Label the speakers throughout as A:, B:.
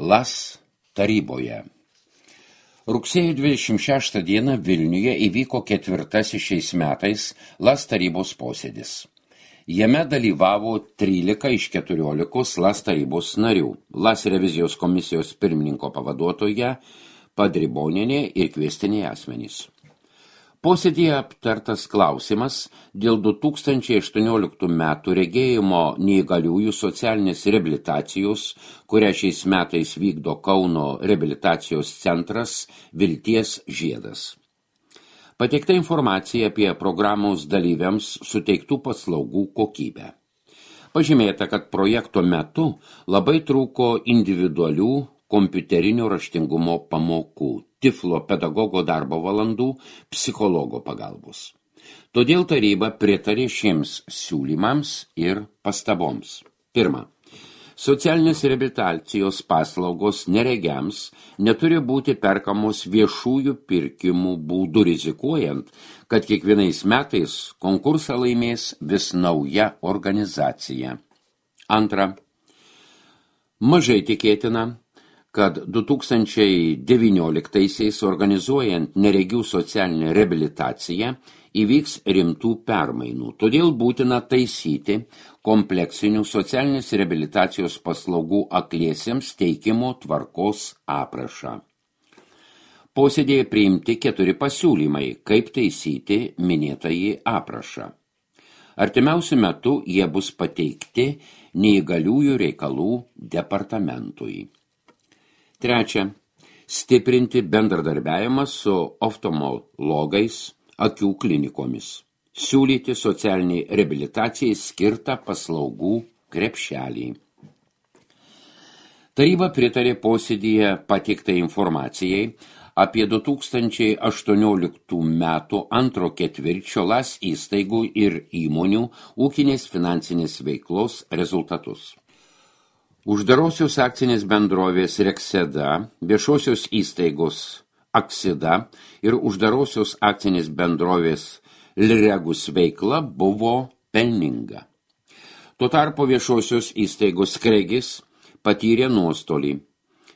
A: LAS taryboje. Rugsėjo 26 dieną Vilniuje įvyko 4. šiais metais LAS tarybos posėdis. Jame dalyvavo 13 iš 14 LAS tarybos narių, LAS revizijos komisijos pirmininko pavaduotoja Padribonienė ir kviestiniai asmenys. Posėdyje aptartas klausimas dėl 2018 metų regėjimo neįgaliųjų socialinės reabilitacijos, kurią šiais metais vykdo Kauno reabilitacijos centras Vilties žiedas. Pateikta informacija apie programos dalyviams suteiktų paslaugų kokybę. Pažymėta, kad projekto metu labai trūko individualių kompiuterinio raštingumo pamokų, tiflo pedagogo darbo valandų, psichologo pagalbos. Todėl taryba pritarė šiems siūlymams ir pastaboms. Pirma, socialinės reabilitacijos paslaugos neregiams neturi būti perkamos viešųjų pirkimų būdų rizikuojant, kad kiekvienais metais konkursą laimės vis nauja organizacija. Antra, mažai tikėtina, kad 2019-aisiais organizuojant neregių socialinę reabilitaciją įvyks rimtų permainų. Todėl būtina taisyti kompleksinių socialinės reabilitacijos paslaugų akliesiems teikimo tvarkos aprašą. Posėdėje priimti 4 pasiūlymai, kaip taisyti minėtąjį aprašą. Artimiausiu metu jie bus pateikti neįgaliųjų reikalų departamentui. Trečia, stiprinti bendradarbiavimą su oftalmologais, akių klinikomis. Siūlyti socialiniai reabilitacijai skirtą paslaugų krepšelį. Taryba pritarė posėdyje pateiktai informacijai apie 2018 metų antro ketvirčio LAS įstaigų ir įmonių ūkinės finansinės veiklos rezultatus. Uždarosios akcinės bendrovės Rekseda, viešosios įstaigos Aksida ir uždarosios akcinės bendrovės Liregus veikla buvo pelninga. Tuo tarpu viešosios įstaigos Kregis patyrė nuostolį.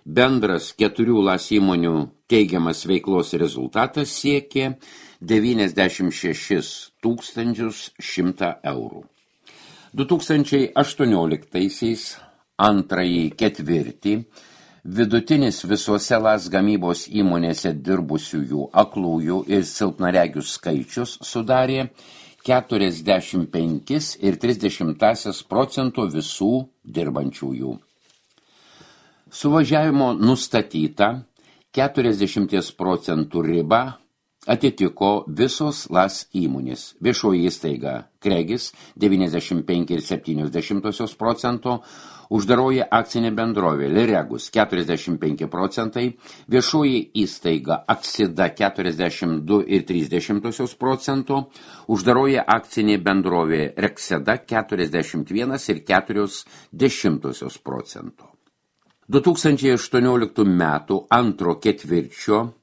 A: Bendras 4 LAS įmonių teigiamas veiklos rezultatas siekė 96 100 eurų. 2018-aisiais antrąjį ketvirtį vidutinis visose LAS gamybos įmonėse dirbusiųjų aklųjų ir silpnaregių skaičius sudarė 45,3% visų dirbančiųjų. Suvažiavimo nustatyta 40% riba atitiko visos LAS įmonės. Viešoji įstaiga Kregis 95,7%, uždaroji akcinė bendrovė Liregus 45%, viešoji įstaiga Aksida 42,3%, uždaroji akcinė bendrovė Rekseda 41,4%. 2018 metų antro ketvirčio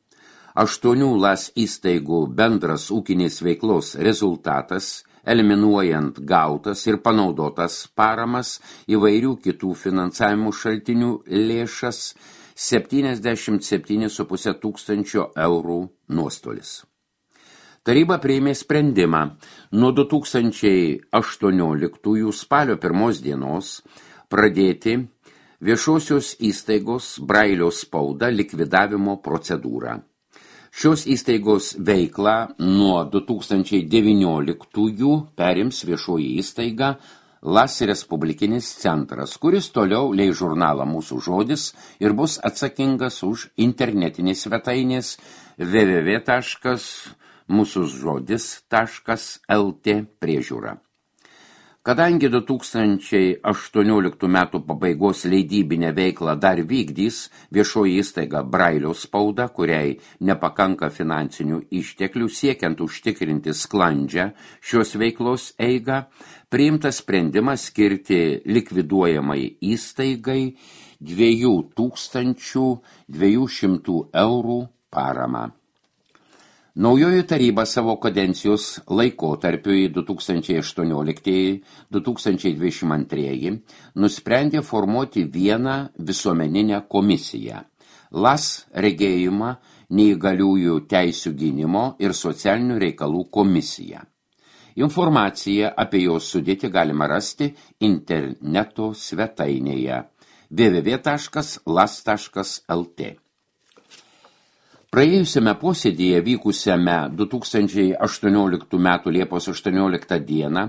A: 8 LAS įstaigų bendras ūkinės veiklos rezultatas, eliminuojant gautas ir panaudotas paramas įvairių kitų finansavimų šaltinių lėšas, 77,5 tūkstančio eurų nuostolis. Taryba priėmė sprendimą nuo 2018 spalio 1 dienos pradėti viešosios įstaigos Brailio spauda likvidavimo procedūrą. Šios įstaigos veiklą nuo 2019 perims viešoji įstaiga LAS Respublikinis centras, kuris toliau leis žurnalą Mūsų žodis ir bus atsakingas už internetinės svetainės www.musuzžodis.lt priežiūrą. Kadangi 2018 metų pabaigos leidybinę veiklą dar vykdys viešoji įstaiga Brailio spauda, kuriai nepakanka finansinių išteklių siekiant užtikrinti sklandžią šios veiklos eigą, priimtas sprendimas skirti likviduojamai įstaigai 2200 eurų paramą. Naujoji taryba savo kadencijos laikotarpiui 2018-2022 nusprendė formuoti vieną visuomeninę komisiją – LAS regėjimą, neįgaliųjų teisių gynimo ir socialinių reikalų komisiją. Informaciją apie jos sudėtį galima rasti interneto svetainėje www.las.lt. Praėjusiame posėdyje vykusiame 2018 m. Liepos 18 dieną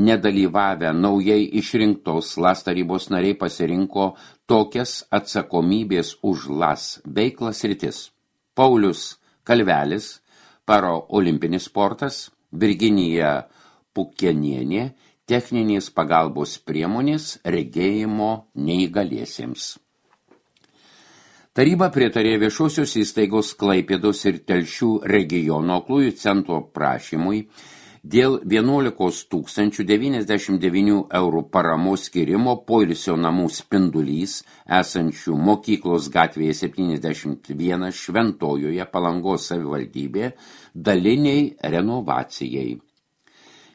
A: nedalyvavę naujai išrinktos LAS tarybos nariai pasirinko tokias atsakomybės už LAS veiklas sritis. Paulius Kalvelis, paraolimpinis sportas, Virginija Pukenienė, techninės pagalbos priemonės regėjimo neįgaliesiems. Taryba pritarė viešosios įstaigos Klaipėdos ir Telšių regiono aklųjų centro prašymui dėl 11 099 eurų paramos skirimo poilsio namų Spindulys esančių Mokyklos gatvėje 71 Šventojoje Palangos savivaldybė daliniai renovacijai.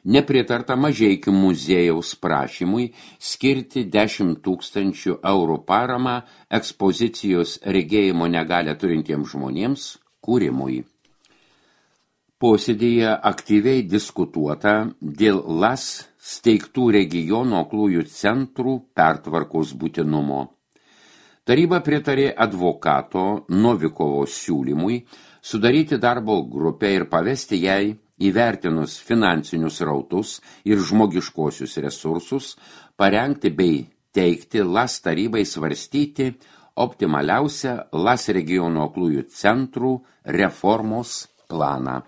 A: Nepritarta Mažeikių muziejaus prašymui skirti 10 000 eurų paramą ekspozicijos regėjimo negalią turintiems žmonėms kūrimui. Posėdyje aktyviai diskutuota dėl LAS steigtų regiono aklųjų centrų pertvarkos būtinumo. Taryba pritarė advokato Novikovo siūlymui sudaryti darbo grupę ir pavesti jai įvertinus finansinius rautus ir žmogiškosius resursus, parengti bei teikti LAS tarybai svarstyti optimaliausią LAS regiono aklųjų centrų reformos planą.